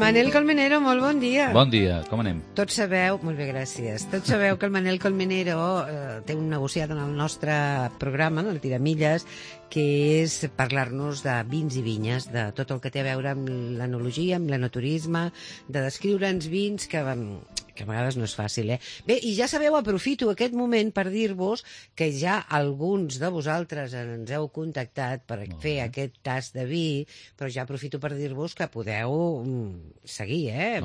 Manel Colmenero, molt bon dia. Bon dia, com anem? Tots sabeu, molt bé, gràcies. Tots sabeu que el Manel Colmenero té un negociat en el nostre programa, en el Tiramilles, que és parlar-nos de vins i vinyes, de tot el que té a veure amb l'enologia, amb l'enoturisme, de descriure'ns vins que a vegades no és fàcil, eh? Bé, i ja sabeu, aprofito aquest moment per dir-vos que ja alguns de vosaltres ens heu contactat per fer aquest tast de vi, però ja aprofito per dir-vos que podeu seguir, a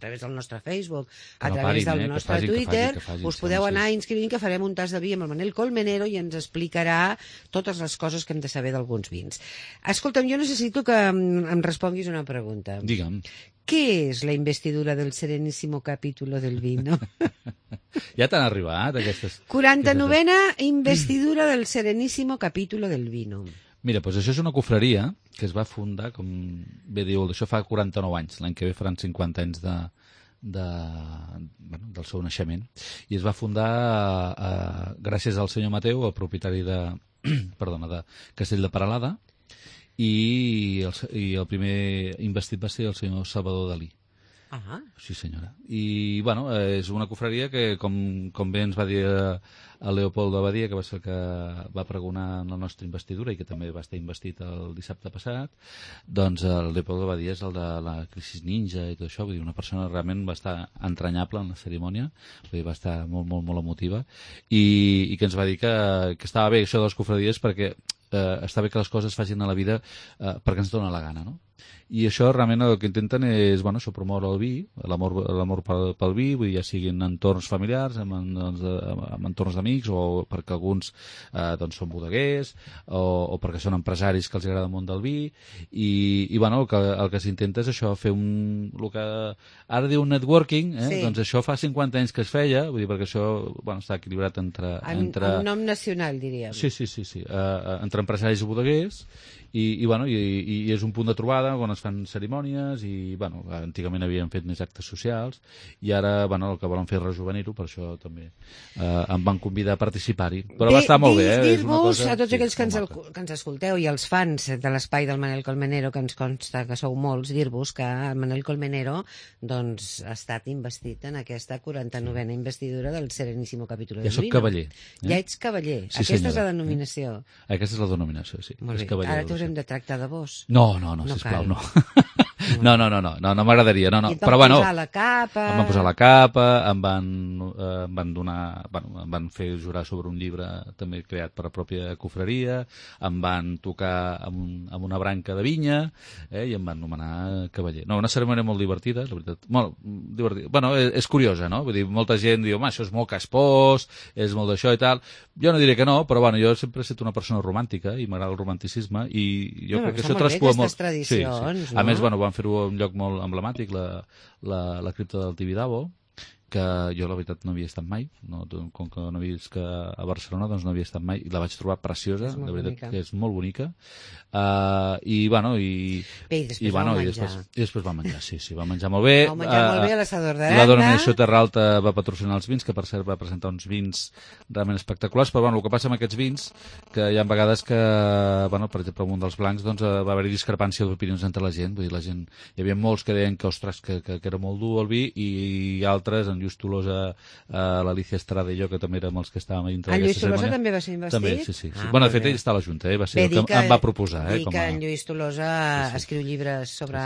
través del nostre Facebook, a través del nostre Twitter, us podeu anar inscrivint que farem un tast de vi amb el Manel Colmenero i ens explicarà totes les coses que hem de saber d'alguns vins. Escolta'm, jo necessito que em responguis una pregunta. Digue'm. ¿Qué es la investidura del Serenísimo Capítulo del Vino? Ja t'han arribat aquestes... 49a investidura del Serenísimo Capítulo del Vino. Mira, doncs això és una confraria que es va fundar, com bé diu, això fa 49 anys. L'any que ve faran 50 anys del seu naixement. I es va fundar gràcies al senyor Mateu, el propietari de Castell de Peralada, i el primer investit va ser el senyor Salvador Dalí. Sí, senyora. I, bueno, és una confraria que, com bé ens va dir el Leopoldo Abadia, que va ser el que va pregonar en la nostra investidura i que també va estar investit el dissabte passat, doncs el Leopoldo Abadia és el de la crisi ninja i tot això, vull dir, una persona realment va estar entranyable en la cerimònia, vull dir, va estar molt, molt, molt emotiva, i que ens va dir que estava bé això de les confraries perquè està bé que les coses es facin a la vida perquè ens dona la gana, no? I això realment el que intenten és, bueno, això, promoure el vi, l'amor pel vi, vull dir, ja siguin en entorns familiars, en entorns d'amics, o perquè alguns doncs són bodeguers, o perquè són empresaris que els agrada el món del vi, i bueno, el que s'intenta és això, fer el que ara diu networking, doncs això fa 50 anys que es feia, vull dir, perquè això, bueno, està equilibrat entre... En nom nacional, diríem. Sí, entre empresaris i bodeguers, i és un punt de trobada on es fan cerimònies i, bueno, antigament havien fet més actes socials i ara, bueno, el que volen fer és rejuvenir-ho, per això també em van convidar a participar-hi. Però va estar molt bé, Dir-vos a tots aquells que ens escolteu i els fans de l'espai del Manel Colmenero, que ens consta que sou molts, dir-vos que el Manel Colmenero doncs ha estat investit en aquesta 49a investidura del Serenísimo Capítulo del Vino. Ja soc cavaller. Ja ets cavaller. Aquesta és la denominació. Aquesta és la denominació, sí. Molt bé. Ara t'haurem de tractar de vos. No, sisplau, no. No m'agradaria. I et van posar la capa... Em van posar la capa, em van donar... Bueno, em van fer jurar sobre un llibre també creat per la pròpia confraria, em van tocar amb una branca de vinya, i em van nomenar cavaller. No, una cerimònia molt divertida, la veritat. Molt divertida. Bueno, és curiosa, no? Vull dir, molta gent diu, això és molt caspós, és molt d'això i tal. Jo no diré que no, però bueno, jo sempre he estat una persona romàntica i m'agrada el romanticisme i jo crec que això traspua molt. Sí. A més, bueno, van fer-ho a un lloc molt emblemàtic, la cripta del Tibidabo, que jo la veritat no havia estat mai, com que no havia vist que a Barcelona doncs no havia estat mai, i la vaig trobar preciosa, la veritat que és molt bonica, i després va menjar, sí, va menjar molt bé. Va menjar molt bé a l'assador d'Aranda. La denominació Terra Alta va patrocinar els vins, que per cert va presentar uns vins realment espectaculars, però el que passa amb aquests vins, que hi ha vegades que, per exemple, amb un dels blancs doncs, va haver-hi discrepància d'opinions entre la gent, vull dir, hi havia molts que deien que, ostres, que era molt dur el vi, i altres, en Lluís Tolosa, l'Alicia Estrada i jo, que també érem els que estàvem dintre d'aquesta cerimònia. En Lluís Tolosa també va ser investit? També, sí. Bueno, de fet, ell està a la Junta, va ser el que em va proposar. Dir que en Lluís Tolosa escriu llibres sobre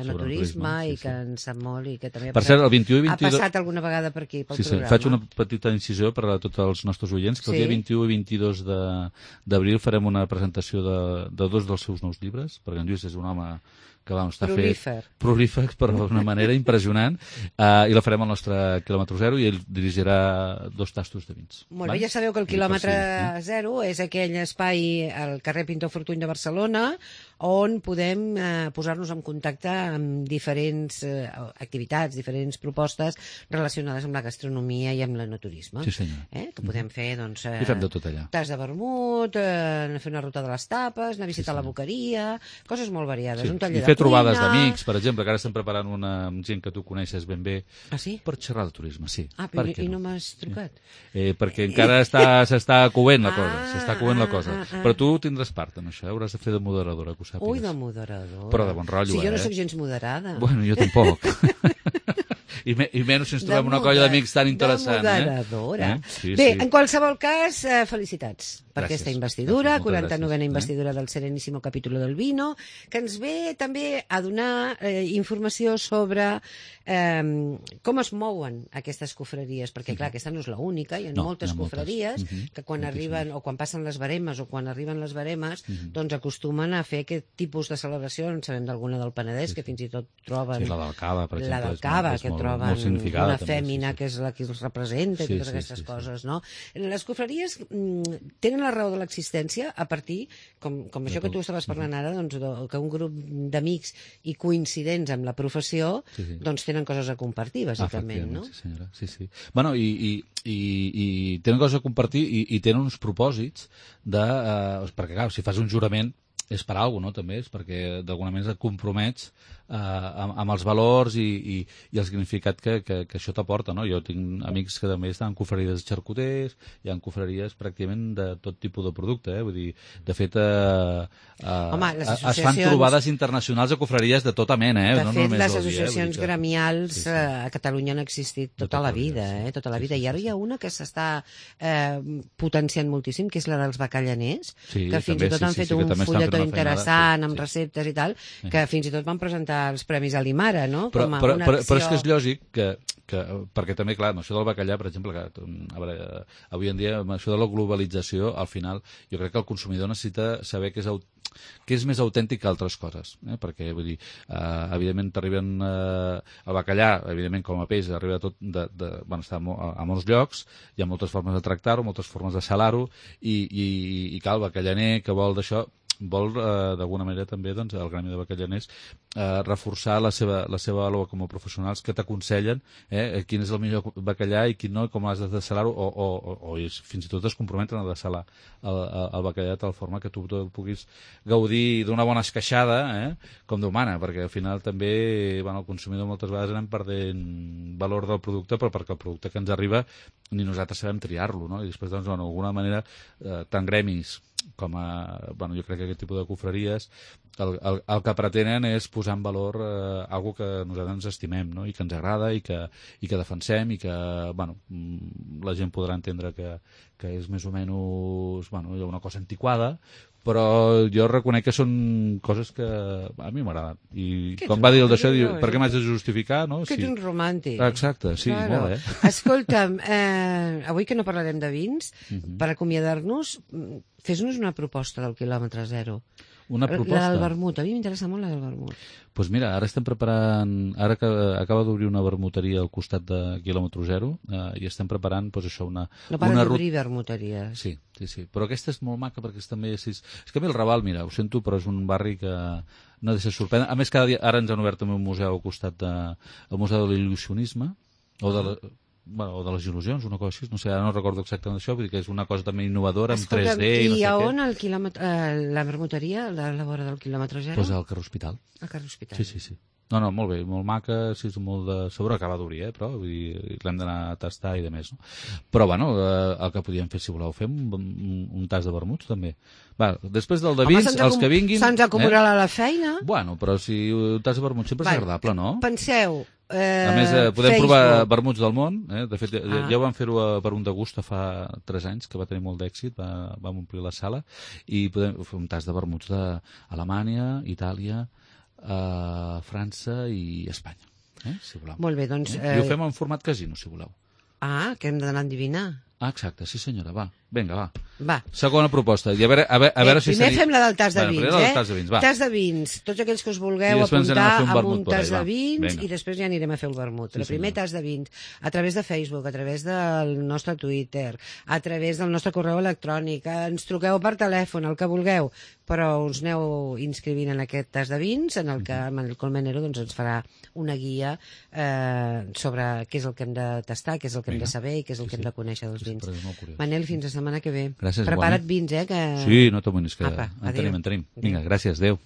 enoturisme i que en sap molt i que també per cert, el 21 i 22... ha passat alguna vegada per aquí, pel programa. Faig una petita incisió per a tots els nostres oients, que el dia 21 i 22 d'abril farem una presentació de dos dels seus nous llibres, perquè en Lluís és un home que està prolífer, però d'una manera impressionant, i la farem al nostre quilòmetre zero i ell dirigirà 2 tastos de vins. Molt bé, ja sabeu que el quilòmetre zero és aquell espai al carrer Pintor Fortuny de Barcelona on podem posar-nos en contacte amb diferents activitats, diferents propostes relacionades amb la gastronomia i amb l'enoturisme. Sí, senyor. Que podem fer, doncs... I fem de tot allà. Tas de vermut, fer una ruta de les tapes, anar a visitar la boqueria, coses molt variades, un taller de trobades d'amics, per exemple, que ara estem preparant una amb gent que tu coneixes ben bé. Ah, sí? Per xerrar de turisme, sí. Ah, però i no m'has trucat? Perquè encara s'està coent la cosa, s'està coent la cosa. Però tu tindràs part en això, hauràs de fer de moderadora, que ho sàpigues. Ui, de moderadora. Però de bon rotllo, si jo no sóc gens moderada. Bueno, jo tampoc. I menys si ens trobem una colla d'amics tan interessant. De moderadora. Sí, bé, sí. en qualsevol cas, felicitats per Gràcies. aquesta investidura, Gràcies, 49a investidura del Serenísimo Capítulo del Vino, que ens ve també a donar informació sobre com es mouen aquestes cofreries, perquè clar, aquesta no és l'única, hi ha moltes cofreries que quan arriben, o quan passen les baremes, o quan arriben les baremes, doncs acostumen a fer aquest tipus de celebració. En sabem d'alguna del Penedès, que fins i tot troben... Sí, la del Cava, per exemple. La del Cava, que troben una fèmina que és la que els representa, i totes aquestes coses, no? Les cofreries tenen la raó de l'existència a partir, com això que tu estaves parlant ara, doncs, que un grup d'amics i coincidents amb la professió doncs tenen coses a compartir, bàsicament, no? Sí, senyora, sí. Bueno, i tenen coses a compartir i tenen uns propòsits de... perquè, clar, si fas un jurament és per alguna cosa, no? També és perquè d'alguna manera et compromets amb els valors i el significat que això t'aporta, no? Jo tinc amics que també estan en cofreries de xarcuters, hi ha cofreries pràcticament de tot tipus de producte, vull dir, de fet es fan trobades internacionals de cofreries de tota mena, De fet, les associacions gremials a Catalunya han existit tota la vida, tota la vida, i ara hi ha una que s'està potenciant moltíssim, que és la dels bacallaners, que fins i tot han fet un fulletó interessant amb receptes i tal, que fins i tot van presentar els Premis a l'Imara, no? Però és que és lògic que perquè també, clar, amb això del bacallà, per exemple, avui en dia, amb això de la globalització, al final, jo crec que el consumidor necessita saber que és més autèntic que altres coses, perquè, vull dir, evidentment t'arriben el bacallà, evidentment com a peix arriba tot està a molts llocs, hi ha moltes formes de tractar-ho, moltes formes de salar-ho, i cal, el bacallaner que vol d'això vol, d'alguna manera també, doncs, el gremi de bacallaners reforçar la seva vàlua com a professionals que t'aconsellen quin és el millor bacallà i quin no, i com has de desalar-ho, o fins i tot es comprometen a desalar el bacallà de tal forma que tu el puguis gaudir d'una bona esqueixada, com Déu mana, perquè al final també el consumidor moltes vegades anem perdent valor del producte, però perquè el producte que ens arriba ni nosaltres sabem triar-lo, no? I després, doncs, d'alguna manera, tant gremis com jo crec que aquest tipus de cofreries el que pretenen és posar en valor algo que nosaltres ens estimem, no? I que ens agrada i que defensem i que la gent podrà entendre que és més o menys una cosa antiquada, però jo reconec que són coses que a mi m'agraden. I com va dir el d'això, per què m'has de justificar, no? Que ets un romàntic. Exacte, sí, molt bé. Escolta'm, avui que no parlarem de vins, per acomiadar-nos, fes-nos una proposta del quilòmetre zero. Una proposta? La del vermut, a mi m'interessa molt la del vermut. Doncs mira, ara estem preparant, ara que acaba d'obrir una vermuteria al costat de quilòmetre zero, i estem preparant, doncs això, una... No para d'obrir vermuteries. Sí, però aquesta és molt maca perquè també és que a mi el Raval, mira, ho sento, però és un barri que no deixa sorprendre. A més, cada dia, ara ens han obert també un museu al costat del Museu de l'il·lusionisme, o de les il·lusions, una cosa així, no sé, ara no recordo exactament això, vull dir que és una cosa també innovadora, amb 3D i no sé què. I a on la vermuteria, a la vora del quilòmetre zero? Doncs al carrer Hospital. Al carrer Hospital. Sí. No, molt bé, molt maca, sí, és molt de... Sobre acaba d'obrir, però vull dir, l'hem d'anar a tastar i de més, no? Però, el que podíem fer, si voleu, fem un tas de vermuts, també. Després del de vins, els que vinguin... Se'ns acumularà la feina. Bueno, però si un tas de vermuts sempre és agradable, no? Penseu... A més, podem provar vermuts del món. De fet, ja ho vam fer-ho per un degust fa 3 anys, que va tenir molt d'èxit, vam omplir la sala, i podem fer un tas de vermuts d'Alemanya, Itàlia, França i Espanya, si voleu. Molt bé, doncs... I ho fem en format casino, si voleu. Que hem d'anar a endivinar. Exacte, sí senyora, va. Vinga, va. Segona proposta. I a veure si primer fem la del tas de vins, Tas de vins. Tots aquells que us vulgueu apuntar a un tas de vins i després ja anirem a fer el vermut. Però primer tas de vins, a través de Facebook, a través del nostre Twitter, a través del nostre correu electrònic, ens truqueu per telèfon, el que vulgueu, però us aneu inscrivint en aquest tas de vins, en el que Manel Colmenero ens farà una guia sobre què és el que hem de tastar, què és el que hem de saber i què és el que hem de conèixer dels vins. Manel, fins la setmana que ve. Gràcies, prepara't vins, que... Sí, no t'amoïnis, que en tenim. Vinga, gràcies, adéu.